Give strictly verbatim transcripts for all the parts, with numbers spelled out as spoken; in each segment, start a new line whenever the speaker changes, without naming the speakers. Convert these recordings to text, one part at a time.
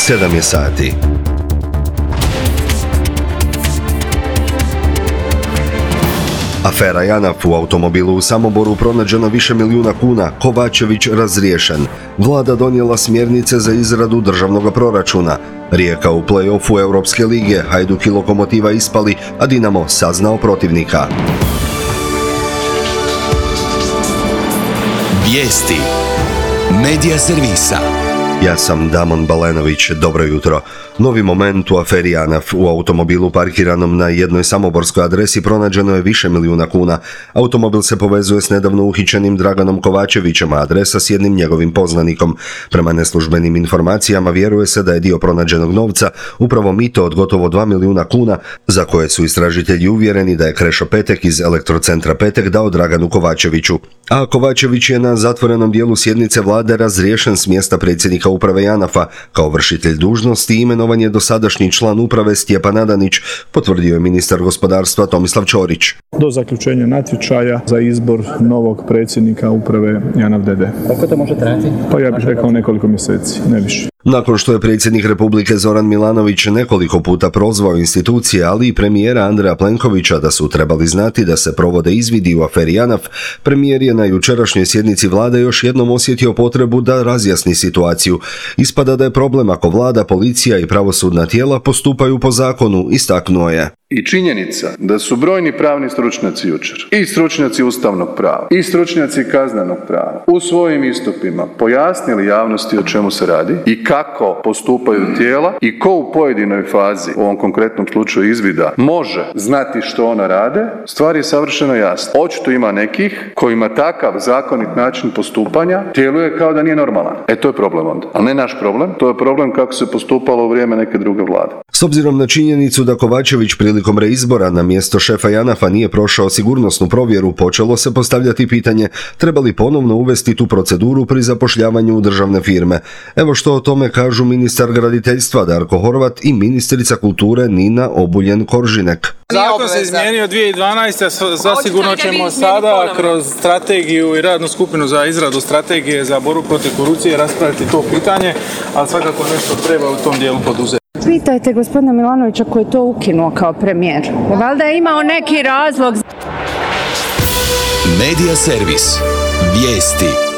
sedam je sati. Afera Janaf, u automobilu u Samoboru pronađeno više milijuna kuna, Kovačević razriješen. Vlada donijela smjernice za izradu državnog proračuna. Rijeka u play-offu Europske lige, Hajduk i Lokomotiva ispali, a Dinamo saznao protivnika.
Vijesti Medija servisa.
Ja sam Damon Balenović, dobro jutro. Novi moment u aferi Janaf. U automobilu parkiranom na jednoj samoborskoj adresi pronađeno je više milijuna kuna. Automobil se povezuje s nedavno uhićenim Draganom Kovačevićem, a adresa s jednim njegovim poznanikom. Prema neslužbenim informacijama vjeruje se da je dio pronađenog novca upravo mito od gotovo dva milijuna kuna, za koje su istražitelji uvjereni da je Krešo Petek iz Elektrocentra Petek dao Draganu Kovačeviću. A Kovačević je na zatvorenom dijelu sjednice vlade razriješen s mjesta predsjednika uprave Janafa. Kao vršitelj dužnosti imenovan je dosadašnji član uprave Stjepan Adanić, potvrdio je ministar gospodarstva Tomislav Ćorić.
Do zaključenja natječaja za izbor novog predsjednika uprave Janaf d d.
Koliko to može trajati?
Pa ja bih rekao nekoliko mjeseci, ne više.
Nakon što je predsjednik Republike Zoran Milanović nekoliko puta prozvao institucije, ali i premijera Andreja Plenkovića da su trebali znati da se provode izvidi u aferi Janaf, premijer je na jučerašnjoj sjednici vlade još jednom osjetio potrebu da razjasni situaciju. Ispada da je problem ako vlada, policija i pravosudna tijela postupaju po zakonu, istaknuo je.
I činjenica da su brojni pravni stručnjaci jučer, i stručnjaci ustavnog prava, i stručnjaci kaznenog prava, u svojim istupima pojasnili javnosti o čemu se radi i kako postupaju tijela i ko u pojedinoj fazi, u ovom konkretnom slučaju izvida, može znati što ona rade, stvar je savršeno jasna. Očito ima nekih kojima takav zakonit način postupanja djeluje kao da nije normalan. E to je problem onda. Ali ne naš problem, to je problem kako se postupalo u vrijeme neke druge vlade.
S obzirom na činjenicu da Kovačević prilikom reizbora na mjesto šefa Janafa nije prošao sigurnosnu provjeru, počelo se postavljati pitanje treba li ponovno uvesti tu proceduru pri zapošljavanju u državne firme. Evo što o tome kažu ministar graditeljstva Darko Horvat i ministrica kulture Nina Obuljen-Koržinek.
Zakon se izmijenio dvije tisuće dvanaeste. Zasigurno ćemo sada kroz strategiju i radnu skupinu za izradu strategije za borbu protiv korupcije raspraviti to pitanje, ali svakako nešto treba u tom dijelu poduzeti.
Pitajte gospodina Milanovića koji je to ukinuo kao premijer. Valjda je imao neki razlog.
Medija servis. Vijesti.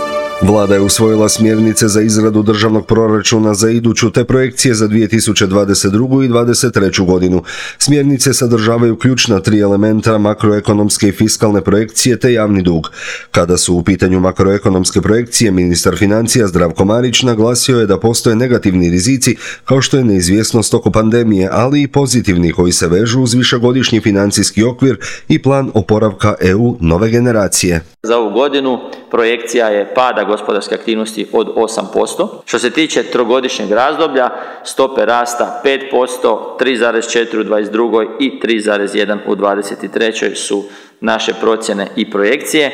Vlada je usvojila smjernice za izradu državnog proračuna za iduću te projekcije za dvije tisuće dvadeset drugu i dvadeset treću godinu. Smjernice sadržavaju ključna tri elementa makroekonomske i fiskalne projekcije te javni dug. Kada su u pitanju makroekonomske projekcije, ministar financija Zdravko Marić naglasio je da postoje negativni rizici kao što je neizvjesnost oko pandemije, ali i pozitivni koji se vežu uz višegodišnji financijski okvir i plan oporavka E U nove generacije.
Za ovu godinu projekcija je pada gospodarske aktivnosti od osam posto. Što se tiče trogodišnjeg razdoblja, stope rasta pet posto, tri zarez četiri u dvadeset drugoj i tri zarez jedan u dvadeset trećoj su naše procjene i projekcije.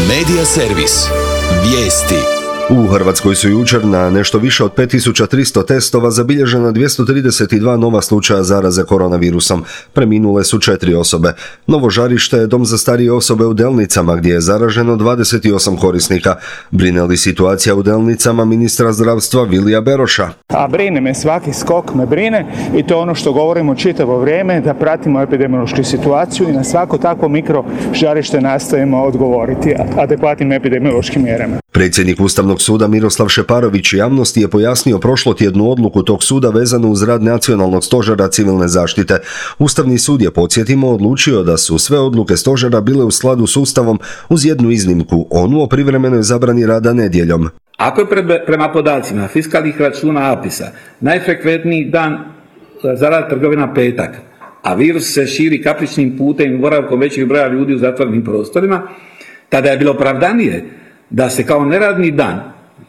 Medija servis. Vijesti.
U Hrvatskoj su jučer na nešto više od pet tisuća tristo testova zabilježena dvjesto trideset dva nova slučaja zaraze koronavirusom. Preminule su četiri osobe. Novo žarište je dom za starije osobe u Delnicama gdje je zaraženo dvadeset osam korisnika. Brine li situacija u Delnicama ministra zdravstva Vilija Beroša?
A brine me, svaki skok me brine i to je ono što govorimo čitavo vrijeme, da pratimo epidemiološku situaciju i na svako takvo mikro žarište nastojimo odgovoriti adekvatnim epidemiološkim mjerama.
Predsjednik Ustavnog suda Miroslav Šeparović javnosti je pojasnio prošlotjednu odluku tog suda vezanu uz rad Nacionalnog stožera civilne zaštite. Ustavni sud je, podsjetimo, odlučio da su sve odluke stožera bile u skladu s Ustavom uz jednu iznimku, onu o privremenoj zabrani rada nedjeljom.
Ako je pred, prema podacima fiskalnih računa APIS-a najfrekventniji dan za rad trgovina petak, a virus se širi kapričnim putem i boravkom većeg broja ljudi u zatvorenim prostorima, tada je bilo opravdanije da se kao neradni dan,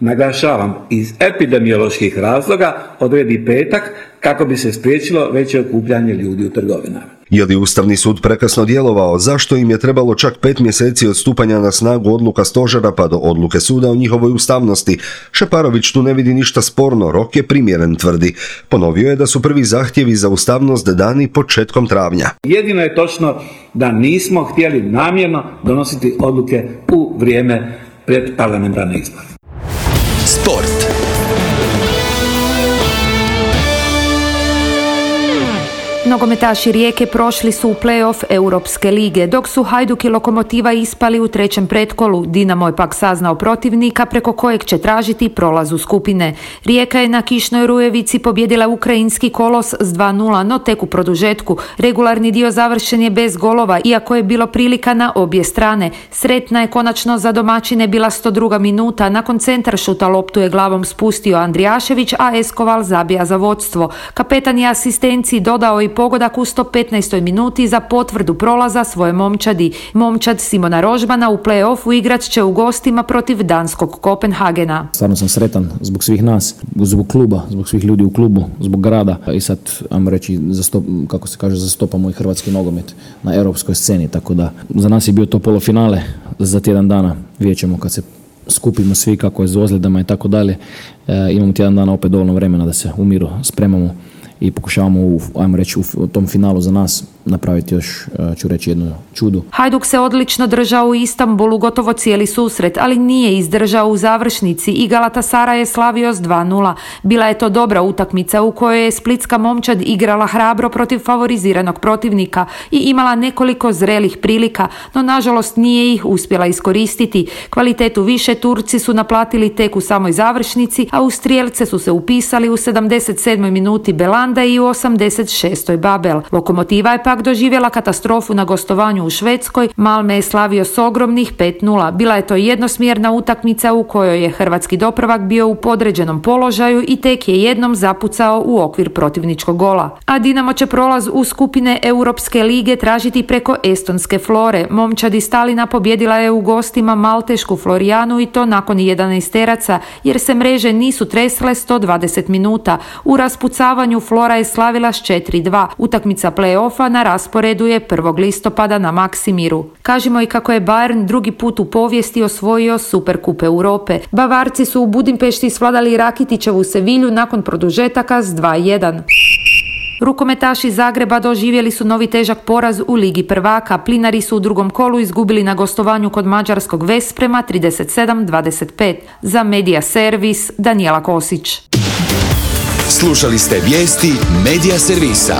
naglašavam, iz epidemioloških razloga odredi petak kako bi se spriječilo veće okupljanje ljudi u trgovinama.
Je li Ustavni sud prekasno djelovao? Zašto im je trebalo čak pet mjeseci od stupanja na snagu odluka stožera pa do odluke suda o njihovoj ustavnosti? Šeparović tu ne vidi ništa sporno, rok je primjeren, tvrdi. Ponovio je da su prvi zahtjevi za ustavnost dani početkom travnja.
Jedino je točno da nismo htjeli namjerno donositi odluke u vrijeme pred parlamentarne izbore.
Sport.
Nogometaši Rijeke prošli su u play-off Europske lige, dok su Hajduk i Lokomotiva ispali u trećem pretkolu. Dinamo je pak saznao protivnika preko kojeg će tražiti prolaz u skupine. Rijeka je na kišnoj Rujevici pobjedila ukrajinski Kolos s dva nula, no tek u produžetku. Regularni dio završen je bez golova, iako je bilo prilika na obje strane. Sretna je konačno za domaćine bila sto druga minuta. Nakon centaršuta loptu je glavom spustio Andrijašević, a Eskoval zabija za vodstvo. Kapetan je asistenciji dodao i pogodak u sto petnaestoj minuti za potvrdu prolaza svoje momčadi. Momčad Simona Rožmana u play-offu igrat će u gostima protiv danskog Kopenhagena.
Stvarno sam sretan zbog svih nas, zbog kluba, zbog svih ljudi u klubu, zbog grada i sad, ajmo reći, zastop, kako se kaže, zastopamo i hrvatski nogomet na europskoj sceni, tako da za nas je bio to polufinale, za tjedan dana vidjet ćemo kad se skupimo svi kako je s ozljedama i tako dalje. E, imamo tjedan dana opet dovoljno vremena da se u miru spremamo i pokušavamo u, ajmo reći, u tom finalu za nas napraviti još, ću reći, jednu čudu.
Hajduk se odlično držao u Istanbulu gotovo cijeli susret, ali nije izdržao u završnici i Galatasaray je slavio s dva nula. Bila je to dobra utakmica u kojoj je splitska momčad igrala hrabro protiv favoriziranog protivnika i imala nekoliko zrelih prilika, no nažalost nije ih uspjela iskoristiti. Kvalitetu više Turci su naplatili tek u samoj završnici, a u strijelce su se upisali u sedamdeset sedmoj minuti Belanda i u osamdeset šestoj Babel. Lokomotiva je pak doživjela katastrofu na gostovanju u Švedskoj. Malme je slavio s ogromnih pet nula. Bila je to jednosmjerna utakmica u kojoj je hrvatski doprvak bio u podređenom položaju i tek je jednom zapucao u okvir protivničkog gola. A Dinamo će prolaz u skupine Europske lige tražiti preko estonske Flore. Momčadi Stalina pobjedila je u gostima maltešku Florijanu i to nakon jedanaesteraca, jer se mreže nisu tresle sto dvadeset minuta. U raspucavanju Flora je slavila s četiri dva. Utakmica play-offa na rasporedu je prvog listopada na Maksimiru. Kažimo i kako je Bayern drugi put u povijesti osvojio Superkup Europe. Bavarci su u Budimpešti svladali Rakitićevu Sevilju nakon produžetaka s dva jedan. Rukometaši Zagreba doživjeli su novi težak poraz u Ligi prvaka. Plinari su u drugom kolu izgubili na gostovanju kod mađarskog Vesprema trideset sedam dvadeset pet. Za Medija Servis, Danijela Kosić.
Slušali ste vijesti Medija Servisa.